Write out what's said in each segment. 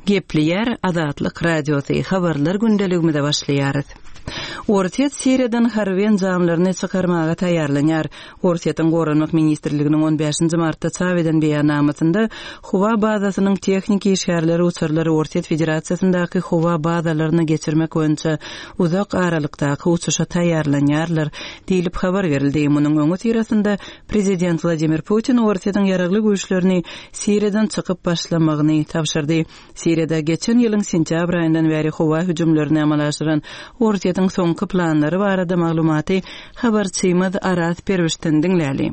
Gepleýär Azatlyk Radiosy, Habarlar gündeligimize başlaýarys. Orsýet Siriýadan harby enjamlaryny çykarmaga taýýarlanýar. Orsýetiň Goranmak ministrliginiň on bäşinji martda çap eden beýannamasynda howa bazasynyň tehniki işgärleri uçarlary Orsýet Federasiýasyndaky howa bazalaryna geçirmek boýunça uzak aralykdaky uçuşa taýýarlanýarlar diýlip habar berildi. Munuň öňüsyrasynda Prezident Wladimir Putin Orsýetiň ýaragly güýçlerini Siriýadan çykyp başlamagyny tabşyrdy. Siriýada geçen ýylyň sentýabr aýyndan bäri howa hüjümlerini amala aşyran Orsýetiň soňky planlary barada maglumaty habarçymyz Araz Perwişden diňläli.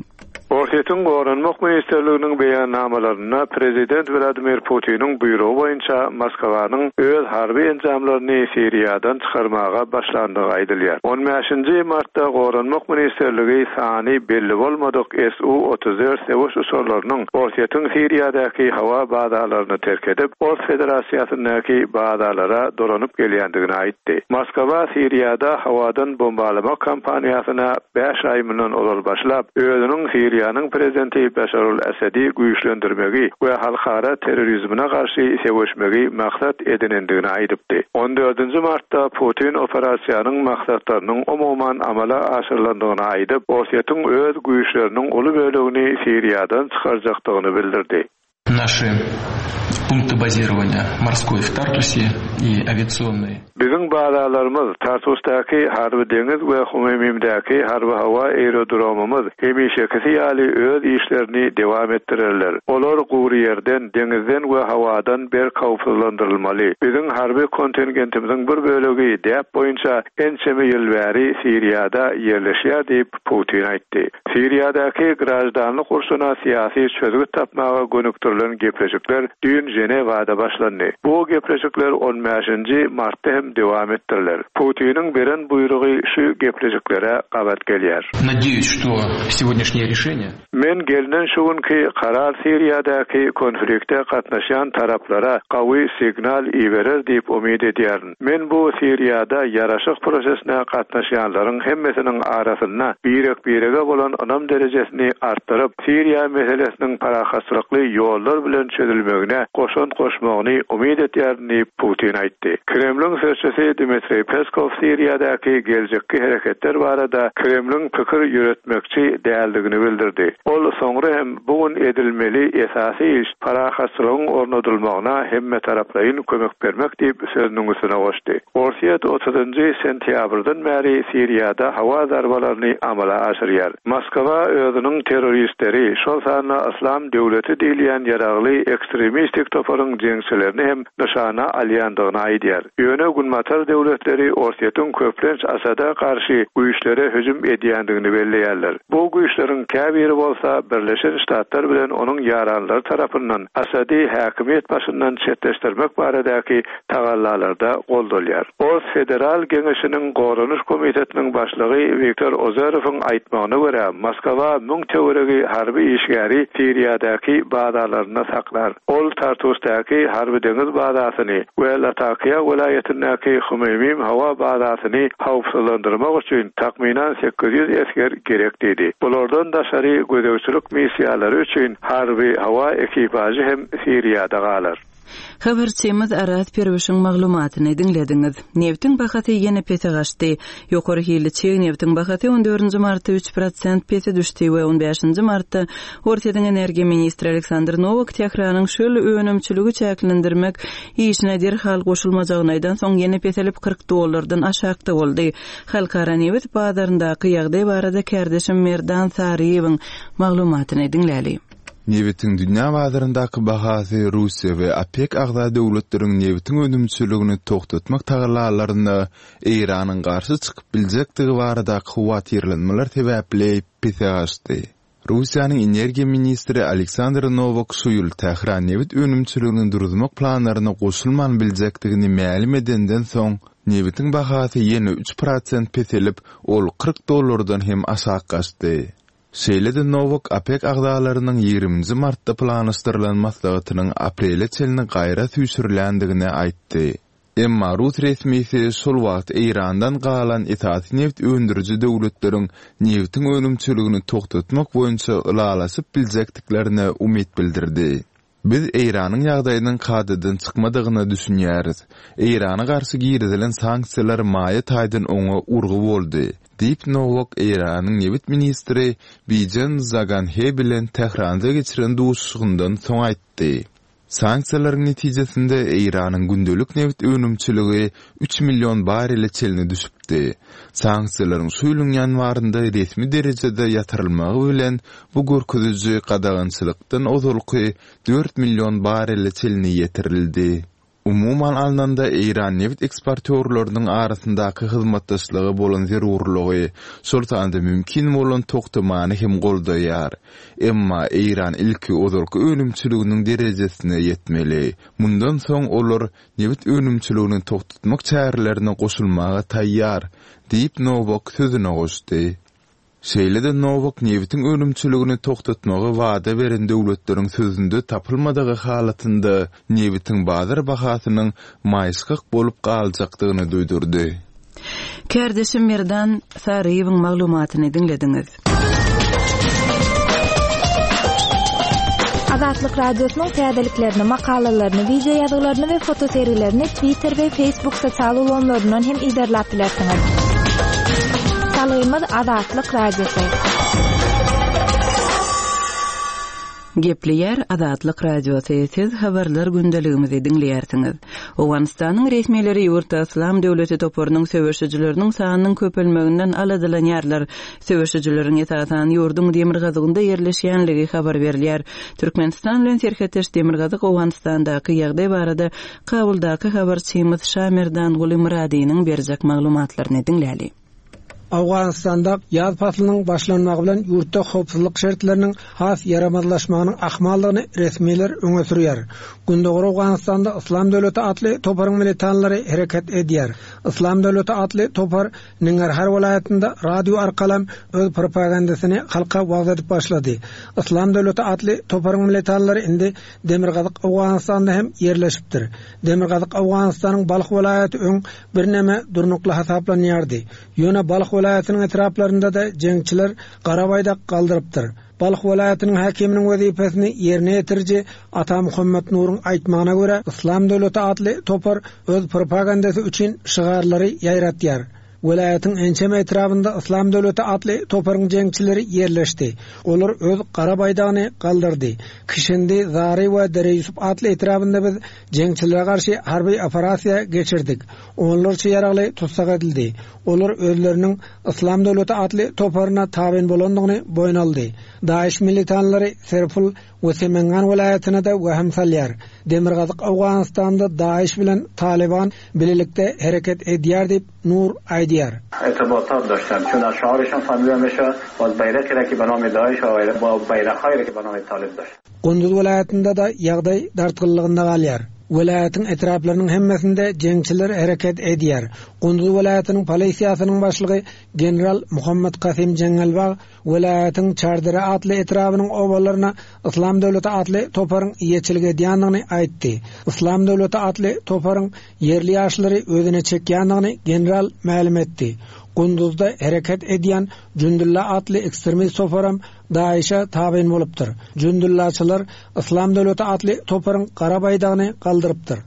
Orsýetiň Goranmak ministrliginiň beýannamalarynda prezident Wladimir Putiniň buýrugy boýunça Moskwanyň öz harby enjamlaryny Siriýadan çykarmaga başlandygy aýdylýar. On bäşinji martda Goranmak ministrligi sany belli bolmadyk SU 34 söweş uçarlarynyň Orsýetiň Siriýadaky howa bazalaryny terk edip, Ors Federasiýasyndaky bazalara dolanyp gelýändigini aýtdy. Moskwa Siriýada howadan bombalamak kampaniýasyna bäş aý mundan ozal başlap, özüniň Siriýanyň prezidenti Beşarul Esedi güýçlendirmegi we halkara terrorizmine garşy söweşmegi maksat edinendigini aýdypdy. On dördünji martda Putin operasiýanyň maksatlarynyň umuman amala aşyrylandygyny aýdyp, Orsýetiň öz güýçleriniň uly bölegini Siriýadan çykarjakdygyny bildirdi. Naşy punkty bazirowaniýa morskoý w Tartusie i awiasionnyý. Biziň bazalarymyz, Tartusdaky harby-deňiz we Hmeýmimdäki harby-howa aerodromymyz hemişekisi ýaly öz işlerini dewam etdirerler. Olar gury ýerden, deňizden we howadan berk howpsuzlandyrylmaly. Biziň harby kontingentimiziň bir bölegi däp boýunça ençeme ýyl bäri Siriýada ýerleşýär diýip, Putin aýtdy. Siriýadaky graždanlyk urşuna syýasy çözgüt tapmaga gönükdirilen gepleşikler düýn Ženewada başlandy. Bu gepleşikler on bäşinji martda hem dowam etdiriler. Putiniň beren buýrugy şu gepleşiklere gabat gelýär. Nadeýus, şto segodnýaşnýe rişeniýe. Men gelnen şu günki karar Siriýadaky konflikte gatnaşýan taraplara gawy signal iberer diýip umyt edýärin. Men bu Siriýada ýaraşyk prosesine gatnaşýanlaryň hemmesiniň arasynda birek-birege bolan ynam derejesini artdyryp, Siriýa meselesiniň parahatçylykly ýollar bilen çözülmegine goşant goşmagyny umyt etýärin diýip, Putin aýtdy. Kremliň sözçüsi Dmitriý Peskow Siriýadaky geljekki hereketler barada Kremliň pikir ýöretmekçi däldigini bildirdi. Ol soňra hem bu gün edilmeli esasy iş parahatçylygyň ornadylmagyna hemmetaraplaýyn kömek bermek diýip, sözüniň üstüne goşdy. Orsýet otuzynjy sentýabrdan bäri Siriýada howa zarbalaryny amala aşyrýar. Moskwa özüniň terroristleri, şol sanda Yslam döwleti diýilýän ýaragly ekstremistik toparyň jeňçilerini hem nyşana alýandygyny aýdýar. Ýöne Günbatar döwletleri Orsýetiň köplenç Asada garşy güýçlere hüjüm edýändigini belleýärler. Bu güýçleriň käbiri bolsa Birleşen Ştatlar bilen onuň ýaranlary tarapyndan Asady häkimiýet başyndan çetleşdirmek baradaky tagallalarda goldalýar. Ors Federal Geňeşiniň Goranyş komitetiniň başlygy Wiktor Ozerowyň aýtmagyna görä, Moskwa müň töweregi harby işgäri Siriýadaky bazalarynda saklar. Ol Tartusdaky harby-deňiz bazasyny we Latakiýa welaýatyndaky Hmeýmim howa bazasyny howpsuzlandyrmak üçin takmynan 800 esger gerek diýdi. Bulardan daşary gözegçilik missiýalary üçin harby-howa ekipažy hem Siriýada galar. Habarçymyz Araz Perwişiň maglumatyny diňlediňiz. Nebtiň bahasy ýene pese gaçdy. Ýokary hilli çig nebtiň bahasy on dördünji martda üç prosent pese düşdi we on bäşinji martda Orsýetiň energiýa ministri Aleksandr Nowak Tähranyň şol önümçiligi çäklendirmek işine derhal goşulmajagyny aýdansoň ýene peselip 40 dollardan aşakda boldy. Halkara nebit bazaryndaky ýagdaý barada kärdeşim Merdan Saryýewiň maglumatyny diňläli. Nebitiň dünýä bazaryndaky bahasy Russiýa we OPEK agza döwletleriň nebitiň önümçiligini togtatmak tagallalaryna Eýranyň garşy çykyp biljekdigi baradaky howatyrlanmalar sebäpli pese gaçdy. Russiýanyň energiýa ministri Aleksandr Nowak şu ýyl Tähran nebit önümçiligini duruzmak planlaryna goşulman biljekdigini mälim edenden soň, nebitiň bahasy ýene üç prosent peselip, ol 40 dollardan hem aşak gaçdy. Şeýle-de Nowak OPEK agzalarynyň ýigriminji martda planlaşdyrylan maslahatynyň aprele çenli gaýra süýşürilendigini aýtdy. Emma rus resmisi şol wagt Eýrandan galan esasy nebit öndüriji döwletleriň nebitiň önümçiligini togtatmak boýunça ylalaşyp biljekdiklerine umyt bildirdi. Biz Eýranyň ýagdaýynyň kadadan çykmadygyna düşünýäris. Eýrana garşy girizilen sanksiýalar maýa taýdan oňa urgy boldy, diýip Nowak Eýranyň nebit ministri Bijen Zaganhe bilen Tähranda geçiren duşuşygyndan soň aýtdy. Sanksiýalaryň netijesinde Eýranyň gündelik nebit önümçiligi üç million barrele çenli düşüpdi. Sanksiýalaryň şu ýylyň ýanwarynda resmi derejede ýatyrylmagy bilen bu görkeziji gadagançylykdan ozalky dört million barrele çenli ýetirildi. Umuman alnanda, eýran nebit eksportýorlarynyň arasyndaky hyzmatdaşlyga bolan zerurlygy, şol sanda mümkin bolan togtamany hem goldaýar. Emma Eýran ilki ozalky önümçiliginiň derejesine ýetmeli. Mundan soň olar nebit önümçiligini togtatmak çärelerine goşulmaga taýýar, diýip, Nowak sözüne goşdy. Şeýle-de Nowak nebitiň önümçiligini togtatmagy wada beren döwletleriň sözünde tapylmadygy halatynda nebitiň bazar bahasynyň maýyşgak bolup galjakdygyny duýdurdy. Kärdeşim Merdan Saryýewiň maglumatyny diňlediňiz. Azatlyk Radiosynyň täzeliklerini, makalalaryny, wideo ýazgylaryny we fotosergilerini Twitter we Facebook sosial ulgamlaryndan hem yzarlap bilersiňiz. Salgymyz Azatlyk Radiosy. Gepleýär Azatlyk Radiosy, siz habarlar gündeligimizi diňleýärsiňiz. Owganystanyň resmileri ýurtda Yslam döwleti toparynyň söweşijileriniň sanynyň köpelmeginden aladalanýarlar. Söweşijileriň esasan ýurduň demirgazygynda ýerleşýänligi habar berilýär. Türkmenistan bilen serhetdeş demirgazyk Owganystandaky ýagdaý barada Kabuldaky habarçymyz Şamerdanguly Myradynyň berjek maglumatlaryny diňläli. Owganystanda ýaz paslynyň başlanmagy bilen ýurtda howpsuzlyk şertleriniň has ýaramazlaşmagynyň ahmaldygyny resmiler öňe sürýär. Gündogar Owganystanda Yslam döwleti atly toparyň militanlary hereket edýär. Yslam döwleti atly topar Ningarhar welaýatynda radio arkalam öz propagandasyny halka wagyz edip başlady. Yslam döwleti atly toparyň militanlary indi Demirgazyk Owganystanda hem ýerleşipdir. Demirgazyk Owganystanyň Balh welaýaty öň birneme durnukly hasaplanýardy. Ýöne Balh welaýatynyň etraplarynda-da jeňçiler gara baýdak galdyrypdyr. Balh welaýatynyň häkiminiň wezipesini ýerine ýetiriji Ata Muhammet Nuruň aýtmagyna görä, Yslam döwleti atly topar öz propagandasy üçin şygarlary ýaýratýar. Welaýatyň ençeme etrabynda Yslam döwleti atly toparyň jeňçileri ýerleşdi. Olar öz gara baýdagyny galdyrdy. Kişindi, Zary we Dereýusup atly etrabynda biz jeňçilere garşy harby operasiýa geçirdik. Onlarça ýaragly tussag edildi. Olar özleriniň Yslam döwleti atly toparyna tabyn bolandygyny boýun aldy. DAIŞ militanlary Serpul we Semengan welaýatyna-da wehim salýar. Demirgazyk Owganystanda DAIŞ bilen Talyban bilelikde hereket edýär diýip, Nur aýdýar. Gunduz welaýatynda-da ýagdaý dartgynlygynda galýar. Welaýatyň etraplarynyň hemmesinde jeňçiler hereket edýär. Gunduz welaýatynyň polisiýasynyň başlygy general Muhammad Kasym Jeňňelbag welaýatyň Çardere atly etrabynyň obalaryna Yslam döwleti atly toparyň eýeçilik edýändigini aýtdy. Yslam döwleti atly toparyň ýerli ýaşlary özüne çekýändigini general mälim etdi. Gunduzda hereket edýän Jündulla atly ekstremist toparam DAIŞ-e tabyn bolupdyr. Jündullaçylar Yslam döwleti atly toparyň gara baýdagyny galdyrypdyr.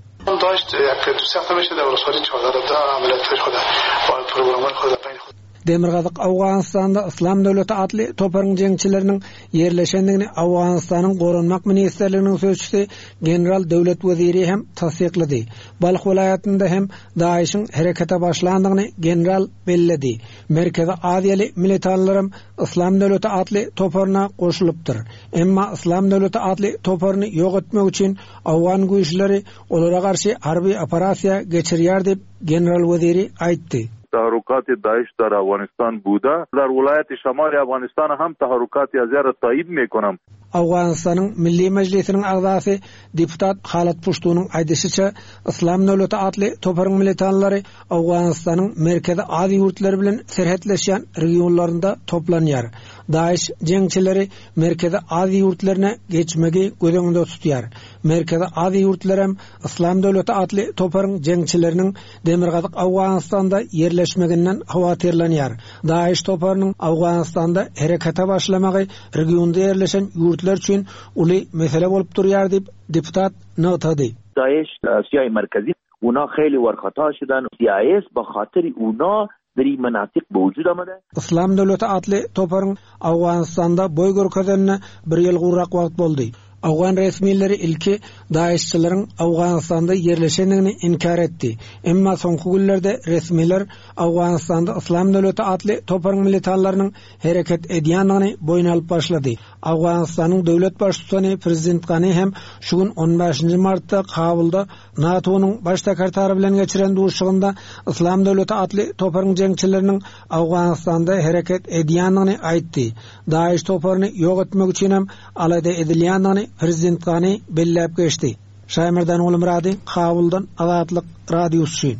Demirgazyk Owganystanda Yslam döwleti atly toparyň jeňçileriniň ýerleşendigini Owganystanyň Goranmak ministrliginiň sözçüsi general Döwlet Weziri hem tassyklady. Balh welaýatynda hem DAIŞ-iň herekete başlandygyny general belledi. Merkezi Aziýaly militanlaram Yslam döwleti atly toparyna goşulypdyr. Emma Yslam döwleti atly toparyny ýok etmek üçin owgan güýçleri olara garşy harby operasiýa geçirýär diýip, general Weziri aýtdy. تحرکات داعش در افغانستان بوده در ولایت شمال افغانستان هم تحرکات از را تایید میکنم. Owganystanyň Milli Mejlisiniň agzasy deputat Halat Puştunyň aýdyşyça, Yslam döwleti atly toparyň militanlary Owganystanyň Merkezi Aziýa ýurtlary bilen serhetleşýän regionlarynda toplanýar. DAIŞ jeňçileri Merkezi Aziýa ýurtlaryna geçmegi göz öňünde tutýar. Merkezi Aziýa ýurtlary hem Yslam döwleti atly toparyň jeňçileriniň demirgazyk Owganystanda ýerleşmeginden howatyrlanýar. DAIŞ toparynyň Owganystanda herekete başlamagy regionda ýerleşen ýurtlar üçin uly mesele bolup durýar diýip, deputat nygtady. DAIŞ آسیای مرکزی اونا خیلی ورخطا شدن سی آی اس به خاطر اونا در این مناطق به وجود آمده. Yslam döwleti atly toparyň Owganystanda boý görkezenine bir ýyl gowrak wagt boldy. Owgan resmileri ilki DAIŞ-çileriň Owganystanda ýerleşendigini inkär etdi. Emma soňky günlerde resmiler Owganystanda Yslam döwleti atly toparyň militanlarynyň hereket edýändigini boýun alyp başlady. Owganystanyň döwlet baştutany prezident Gani hem şu gün on bäşinji martda Kabulda NATO-nyň Baş sekretary bilen geçiren duşuşygynda Yslam döwleti atly toparyň jeňçileriniň Owganystanda hereket edýändigini aýtdy. DAIŞ toparyny ýok etmek üçin hem alada edilýändigini prezident Gani belläp geçdi. Şaýmerdan Gulmyrady, Kabuldan Azatlyk Radiosy üçin.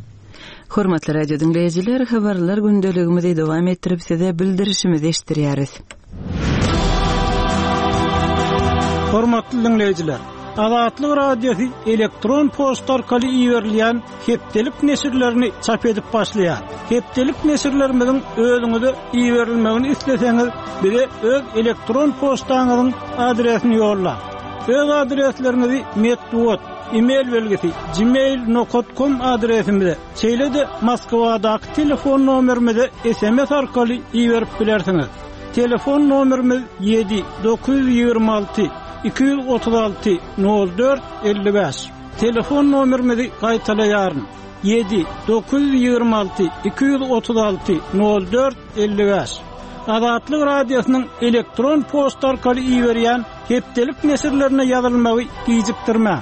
Hormatly radio diňleýjiler, habarlar gündeligimizi dowam etdirip size bildirişimizi eşitdirýäris. Hormatly diňleýjiler, Azatlyk Radiosy elektron poçta arkaly iberilýän hepdelik neşirlerini çap edip başlaýar. Hepdelik neşirlerimiziň özüňize iberilmegini isleseňiz, bize öz elektron poçtaňyzyň adresini ýollaň. Öz adresleriňizi metbugat, e-mail belgisi, gmail nokat kom adresimize, şeýle-de Moskwadaky telefon nomerimize sms arkaly iberip bilersiňiz. Telefon nomerimiz ýedi, 926 236 04 55. Telefon nomerimizi gaýtalaýaryn, ýedi, 926 236 04 55. Azatlyk Radiosynyň elektron poçta arkaly iberýän hepdelik neşirlerine ýazylmagy gijikdirmäň.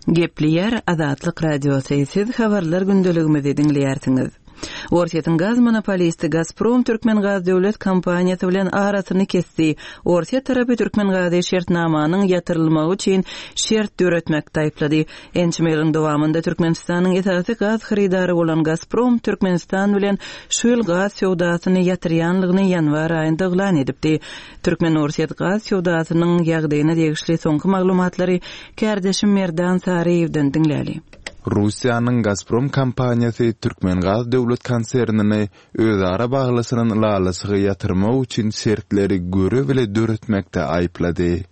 Gepleýär Azatlyk Radiosy, siz habarlar gündeligimizi diňleýärsiňiz. Orsýetiň gaz monopolisti Gazprom Türkmengaz döwlet kompaniýasy bilen arasyny kesdi. Orsýet tarapy Türkmengazy şertnamanyň ýatyrylmagy üçin şert döretmekde aýyplady. Ençeme ýylyň dowamynda Türkmenistanyň esasy gaz hyrydary bolan Gazprom Türkmenistan bilen şu ýyl gaz söwdasyny ýatyrýanlygyny ýanwar aýynda yglan edipdi. Türkmen-orsýet gaz söwdasynyň ýagdaýyna degişli soňky maglumatlary kärdeşim Merdan Saryýewden diňläli. Russiýanyň Gazprom kompaniýasy Türkmengaz döwlet konsernini özara baglaşylan ylalaşygy ýatyrmak üçin şertleri göre-bile döretmekde aýyplady.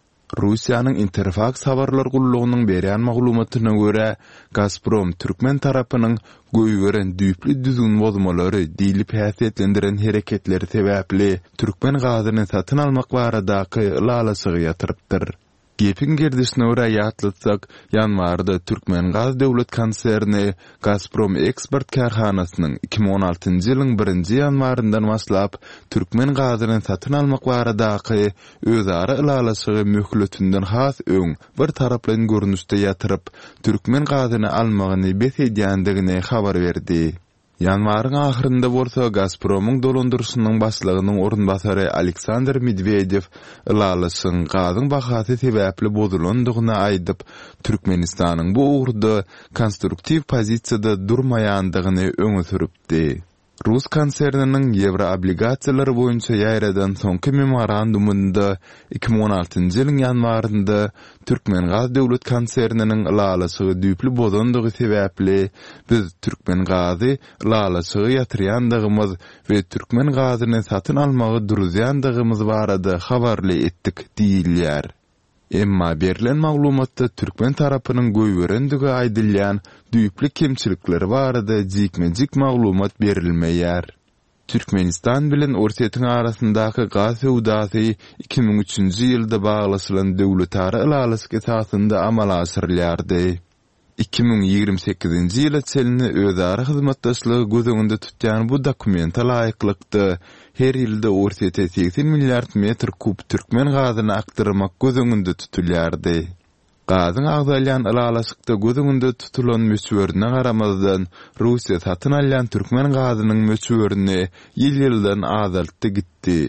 Russiýanyň Interfaks habarlar gullugynyň berýän maglumatyna görä, Gazprom türkmen tarapynyň goýberen düýpli düzgün bozmalary diýlip häsiýetlendiren hereketleri sebäpli türkmen gazyny satyn almak baradaky ylalaşygy ýatyrypdyr. Gepiň gerdişine görä ýatlatsak, ýanwarda Türkmengaz döwlet konserni Gazprom Eksport kärhanasynyň 2016-njy ýylyň birinji ýanwaryndan başlap türkmen gazyny satyn almak baradaky özara ylalaşygy möhletinden has öň bir taraplaýyn görnüşde ýatyryp, türkmen gazyny almagyny bes edýändigini habar berdi. Ýanwaryň ahyrynda bolsa Gazpromyň dolandyryşynyň başlygynyň orunbasary Aleksandr Medwedew ylalaşygyň gazyň bahasy sebäpli bozulandygyny aýdyp, Türkmenistanyň bu ugurda konstruktiw pozisiýada durmaýandygyny öňe sürüpdi. Rus konserniniň ýewroobligasiýalar boýunça ýaýradan soňky memorandumynda 2016-njy ýylyň ýanwarynda Türkmengaz döwlet konserniniň ylalaşygy düýpli bozandygy sebäpli, biz Türkmengazy ylalaşygy ýatyrýandygymyz we türkmen gazyny satyn almagy duruzýandygymyz barada habarly etdik diýilýär. Emma berlen maglumatda türkmen tarapynyň goýberendigi aýdylýan düýpli kemçilikleri barada jikme-jik maglumat berilmeýär. Türkmenistan bilen Orsýetiň arasyndaky gaz söwdasy 2003-nji ýylda baglaşylan döwletara ylalaşyk esasynda amala aşyrylýardy. 2028-nji ýyla çenli özara hyzmatdaşlygy göz öňünde tutýan bu dokumente laýyklykda, her ýylda Orsýete 80 milliard metr kub türkmen gazyny akdyrmak göz öňünde tutulýardy. Gazyň agzalýan ylalaşykda göz öňünde tutulan möçberine garamazdan, Russiýa satyn alýan türkmen gazynyň möçberini ýyl-ýyldan azaltdy gitdi.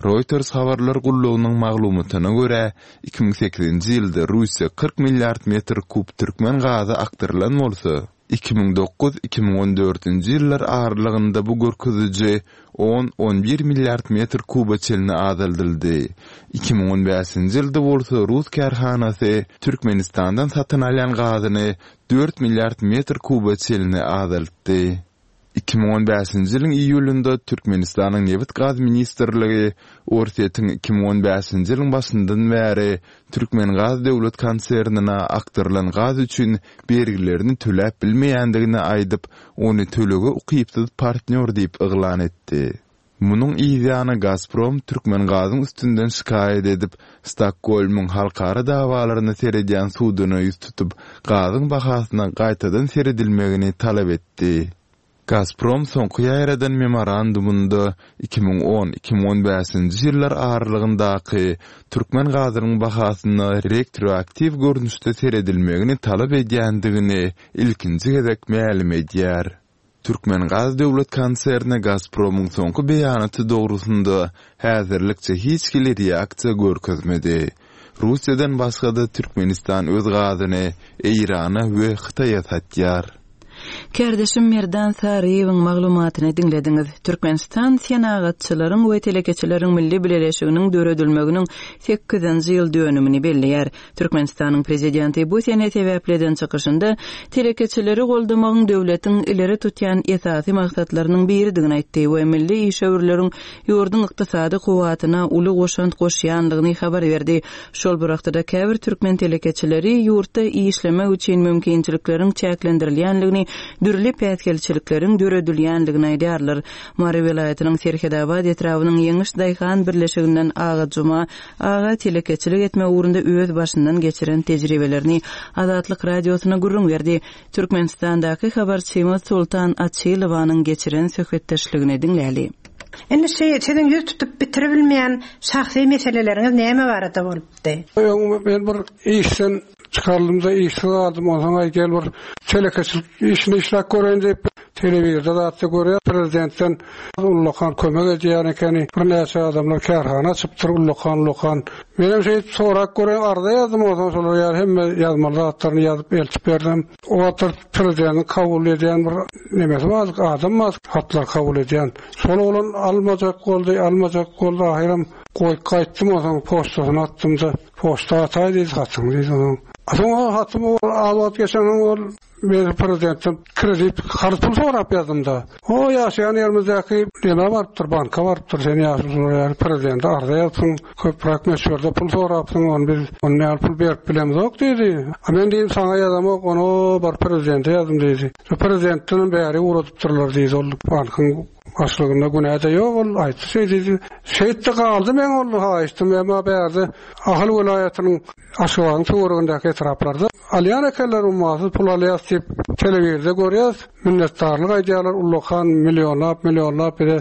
Reuters habarlar gullugynyň maglumatyna görä, 2008-nji ýylda Russiýa 40 milliard metr kub türkmen gazy akdyrylan bolsa, 2009, 2014-nji ýyllar aralygynda bu görkeziji on, on bir milliard metr kuba çenli azaldyldy. 2015-nji ýylda bolsa rus kärhanasy Türkmenistandan satyn alýan gazyny dört milliard metr kuba çenli azaltdy. 2015-nji ýylyň iýulynda Türkmenistanyň Nebit-gaz ministrligi Orsýetiň 2015-nji ýylyň başyndan bäri Türkmengaz döwlet konsernine akdyrylan gaz üçin bergilerini töläp bilmeýändigini aýdyp, ony tölege ukypsyz partnýor diýip yglan etdi. Munuň yzýany Gazprom Türkmengazyň üstünden şikaýat edip, Stokgolmyň halkara dawalaryna seredýän suduna ýüz tutup, gazyň bahasyna gaýtadan seredilmegini talap etdi. Gazprom soňky ýaýradan memorandumynda 2010, 2015-nji ýyllar aralygyndaky türkmen gazynyň bahasyna retroaktiw görnüşde seredilmegini talap edýändigini ilkinji gezek mälim edýär. Türkmengaz döwlet konserni Gazpromyň soňky beýanaty dogrusynda häzirlikçe hiç hili reaksiýa görkezmedi. Russiýadan başga-da Türkmenistan öz gazyny Eýrana we Hytaýa satýar. Kärdeşim Merdan Saryýewiň maglumatyny diňlediňiz. Türkmenistan Senagatçylaryň we telekeçileriň milli bileleşiginiň döredilmeginiň sekizinji ýyl dönümini belleýär. Türkmenistanyň Prezidenti bu sene sebäpli eden çykyşynda telekeçileri goldamagyň döwletiň ileri tutýan esasy maksatlarynyň biridigini aýtdy we milli işewürleriň ýurduň ykdysady kuwwatyna uly goşant goşýandygyny habar berdi. Şol bir wagtda-da käbir türkmen telekeçileri ýurtda işlemek üçin mümkinçilikleriň çäklendirilýändigini, dürli päsgelçilikleriň döredilýändigini aýdýarlar. Mary welaýatynyň Serhetabat etrabynyň Ýeňiş daýhan birleşiginden Agajuma Aga telekeçilik etme ugrunda öz başyndan geçiren tejribelerini Azatlyk Radiosyna gürrüň berdi. Türkmenistandaky habarçymyz Soltan Açylowanyň geçiren söhbetdeşligini diňläli. Indi şi siziň ýüz tutup bitiribilmeýän şahsy meseleleriňiz näme barada bolupdy? Öň men bir işden çykaryldym-da işsiz galdym. Onsoň aý gel bir telekeçilik işini işläp göreýin diýip, telewizorda zatda görýär, prezidentden ullakan kömek edýän ekeni. Birnäçe adamlar kärhana açypdyr ullakan-ullakan. Menem şeýdip sorap göreýin, arza ýazdym onsoň şolar ýaly hemme ýazmaly zatlaryny ýazyp eltip berdim. O wagtlar prezidentiň kabul edýän bir nemesi bardy, adam bardy hatlar kabul edýän. Şol oglan almajak boldy, almajak boldy, ahyram goýup gaýtdym onsoň poçtasyna atdym-da. Poçta ataý diýdi hatyňy diýdi onuň. Soň ol hatymy ol az wagt geçensoň ol men prezidentden kredit karz pul sorap ýazdym-da. O ýaşaýan ýerimizdäki neme barypdyr, banka barypdyr, sen ýaşulular ýaly prezidente arza ýazypsyň, köpräk möçberde pul sorapsyň, ony biz ony ýaly pul berip bilemzok diýdi. A men diýdim saňa ýazamok, ony o baryp prezidente ýazdym diýdi. Şo prezidentdenem bäri ugradypdyrlar diýdi ol bankyň Başlygynda günä-de ýok ol aýtdy şeý diýdi. Şeýtdi galdy meň ol haýyşdym emma bärde Ahal welaýatynyň Aşgabadyň töweregindäki etraplarda alýan ekenler ummasyz pul alýas diýip telewizorda görýäs minnetdarlyk aýdýarlar ullakan millionlap millionlap bize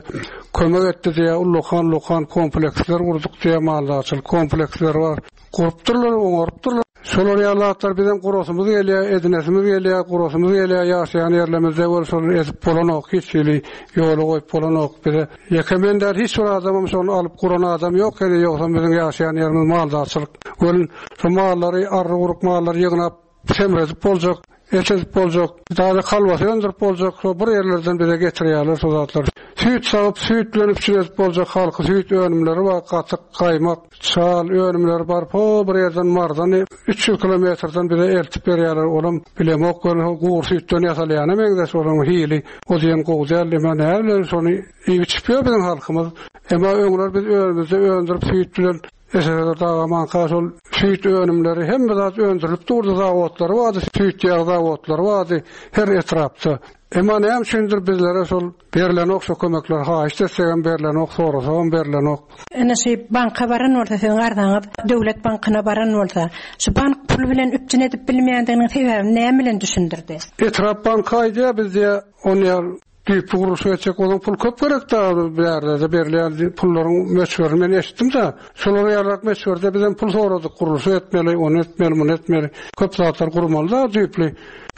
kömek etdi diýýär ullakan ullakan kompleksler gurduk diýýär maldarçylyk kompleksleri bar gurupdyrlar oňarypdyrlar. Şolar ýaly zatlar bizem gurasymyz gelýär, edinesimiz gelýär, gurasymyz gelýär ýaşaýan ýerlemizde wel şony edip bolanok, hiç hili ýola goýup bolanok bize. Ýeke men däl hiç bir adamam şony alyp guran adam ýok heniz ýogsam biziň ýaşaýan ýerimiz maldarçylyk welin şo mallary arry-guruk mallary ýygnap semredip boljak. Et edip boljak, taze kolbasa öndürip boljak, şo bir ýerlerden bize getirýärler şo zatlary. Süýt sagyp, süýt bilen üpjün edip boljak halky süýt önümleri bar, gatyk, gaýmak, çal önümleri bar, ho bir ýerden Marydan 300 kilometrden bize eltip berýärler, olam bilemok welin ho gury süýtden ýasalýana meňzeş olaryň hili o diýen gowy däl, emma näme bilen şony iýip-içip ýör biziň halkymyz. Emma öňler biz özümizde öndürip süýt bilen SSR dagamanka şol süýt önümleri hemme zat öndürilip durdy zawodlary bardy süýt ýag zawodlary bardy her etrapda. Emma näme üçindir bizlere şol berlenok şo kömekler haýyşt etsegem berlenok sorasagam berlenok. Ine şu banka baran bolsa siziň arzaňyz döwlet bankyna baran bolsa şu bank pul bilen üpjün edip bilmeýändiginiň sebäbini näme bilen düşündirdi? Etrap banky aýdýar biz diýýär ony Düýpli gurluşyk etjek bolsaň pul köp gerek-dä, bärde-de berilýän pullaryň möçberini men eşitdim-de, şolar ýalyrak möçberde bizem pul soradyk, gurluşyk etmeli, ony etmeli, muny etmeli, köp zatlar gurmaly-da düýpli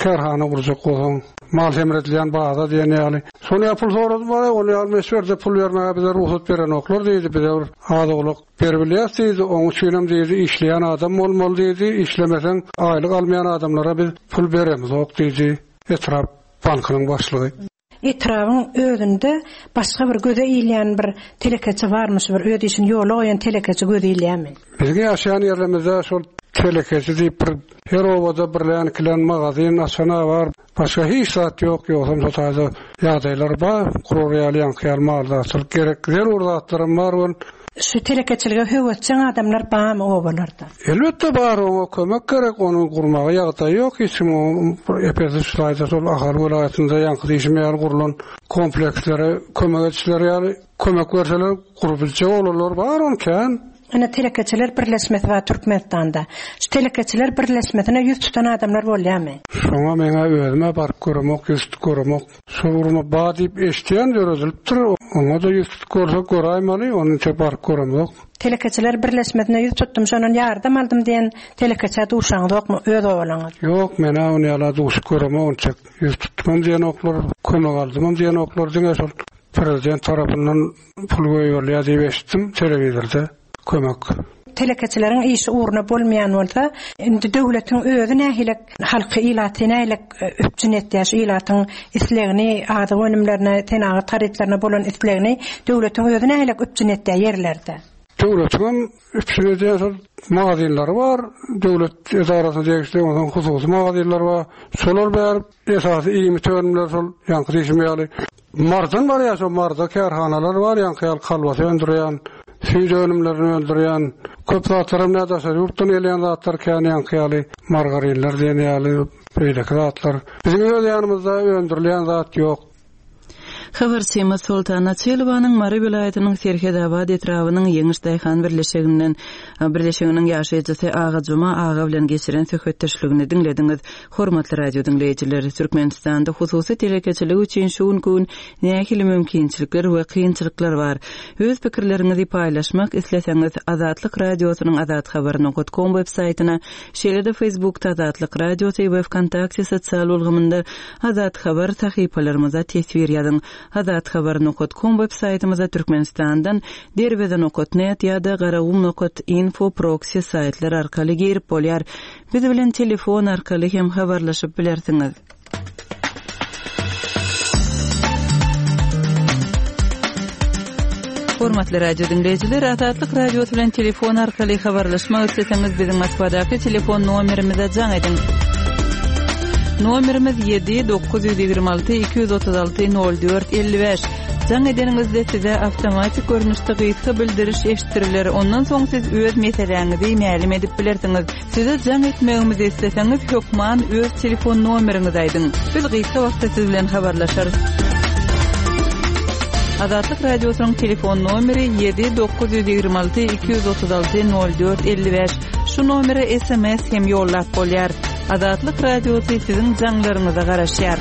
kärhana gurjak bolsaň, mal semredilýän baza diýen ýaly. Şony ýaly pul soradym, aý, ony ýaly möçberde pul bermäge bize rugsat berenoklar diýdi, bize bir az-owlak beribilýäs diýdi, oň üçinem diýdi, işleýän adam bolmaly diýdi, işlemeseň aýlyk almaýan adamlara biz pul beremizok diýdi. etrap bankynyň başlygy. Etrabyň özünde başga bir göze ilýän bir telekeçi barmy şu bir öz işini ýola goýan telekeçi göze ilýärmi? Biziň ýaşaýan ýerlerimizde şol telekeçi diýip bir her obada birlän-ikilen magazin açan-a bar. Başga hiç zat ýok, ýogsam şo taýda ýagdaýlar bar, gurar ýaly ýaňky ýaly maldarçylyk gerek zerur zatlaram bar welin. Şu telekeçilige höwesjeň adamlar barmy obalarda? Elbetde bar, oňa kömek gerek, ony gurmaga ýagdaýy ýok hiç kim, epesi şu taýda şol Ahal welaýatynda ýaňky diýşim ýaly gurlan komplekslere kömek edişleri ýaly kömek berseler gurup biljek oglanlar bar ony kän. Ine telekeçiler birleşmesi bar Türkmenistanda. Şu telekeçiler birleşmesine ýüz tutan adamlar bolýamy? Şoňa meňä özümä baryp göremok ýüz tutup göremok. Şol gurama bar diýip eşitýän döredilipdir oňada ýüz tutup görsek göräýmeli ony entek baryp göremzok. Telekeçiler birleşmesine ýüz tutdum şondan ýardam aldym diýen telekeçä duşaňyzokmy öz obalaňyz? Ýok menä ony ýala duşup göremok entek ýüz tutdumam diýenoklar kömek aldymam diýenoklar diňe şol Prezident tarapyndan pul goýberilýär diýip eşitdim telewizorda. Kömek. Telekeçileriň işi ugruna bolmaýan bolsa, indi döwletiň özi nähili halky, ilaty nähili üpjün etýär, şu ilatyň islegini, azyk önümlerine, senagat harytlaryna bolan islegini döwletiň özi nähili üpjün etýär ýerlerde? Döwletiňem üpjün edýän şol magazinleri bar, döwlet edarasyna degişli, onsoň hususy magazinler bar. Şolar bäri esasy iýmit önümleri şol ýaňky diýşim ýaly Mardan barýar şo Marda kärhanalar bar ýaňky ýaly kolbasa öndürýän, süýt önümlerini öndürýän, köp zatlaram nä daşary ýurtdan gelýän zatlar kän ýaňky ýaly margarinler diýen ýaly beýleki zatlar. Biziň öz ýanymyzda öndürilýän zat ýok. Habarçymyz Soltan Açylowanyň Mary welaýatynyň Serhetabat etrabynyň Ýeňiş daýhan birleşiginden birleşiginiň ýaşaýjysy Agajuma aga bilen geçiren söhbetdeşligini diňlediňiz. Hormatly radio diňleýjiler, Türkmenistanda hususy telekeçilik üçin şu günki gün nähili mümkinçilikler we kynçylyklar bar? Öz pikirleriňizi paýlaşmak isleseňiz, Azatlyk Radiosynyň azathabar nokat kom web saýtyna, şeýle-de Facebookda Azatlyk Radiosy we Wkontakte sosial ulgamynda Azat Habar sahypalarymyza teswir ýazyň. Azathabar nokat kom web saýtymyza Türkmenistandan Derweze nokat net ýa-da Garagum nokat info proksi saýtlar arkaly girip bolýar. Biz bilen telefon arkaly hem habarlaşyp bilersiňiz. Hormatly radio diňleýjiler, Azatlyk Radiosy bilen telefon arkaly habarlaşmak isleseňiz, biziň Moskwadaky telefon nomerimize jaň ediň. Nomerimiz 7 926 236 04 55. Jaň edeniňizde size awtomatik görnüşde gysga bildiriş eşitdiriler. Ondan soň siz öz meseläňizi mälim edip bilersiňiz. Size jaň etmegimizi isleseňiz, hökman öz telefon nomeriňizi aýdyň. Biz gysga wagtda siz bilen habarlaşarys. Azatlyk Radiosynyň telefon nomeri 7 926 236 04 55. Şu nomere sms hem ýollap bolýar. Azatlyk Radiosy siziň jaňlaryňyza garaşýar.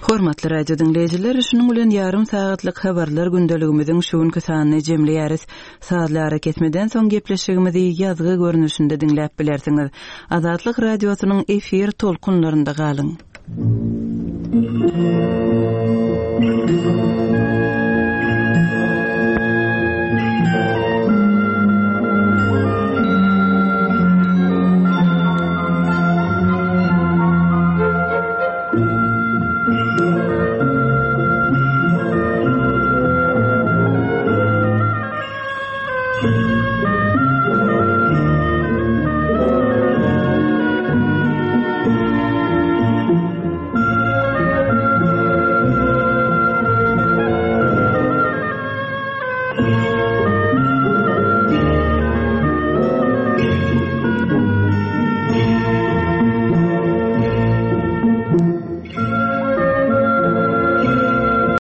Hormatly radio diňleýjiler, şunuň bilen ýarym sagatlyk habarlar gündeligimiziň şu günki sanyny jemleýäris. Sazly arakesmeden soň gepleşigimizi ýazgy görnüşinde diňläp bilersiňiz. Azatlyk Radiosynyň efir tolkunlarynda galyň.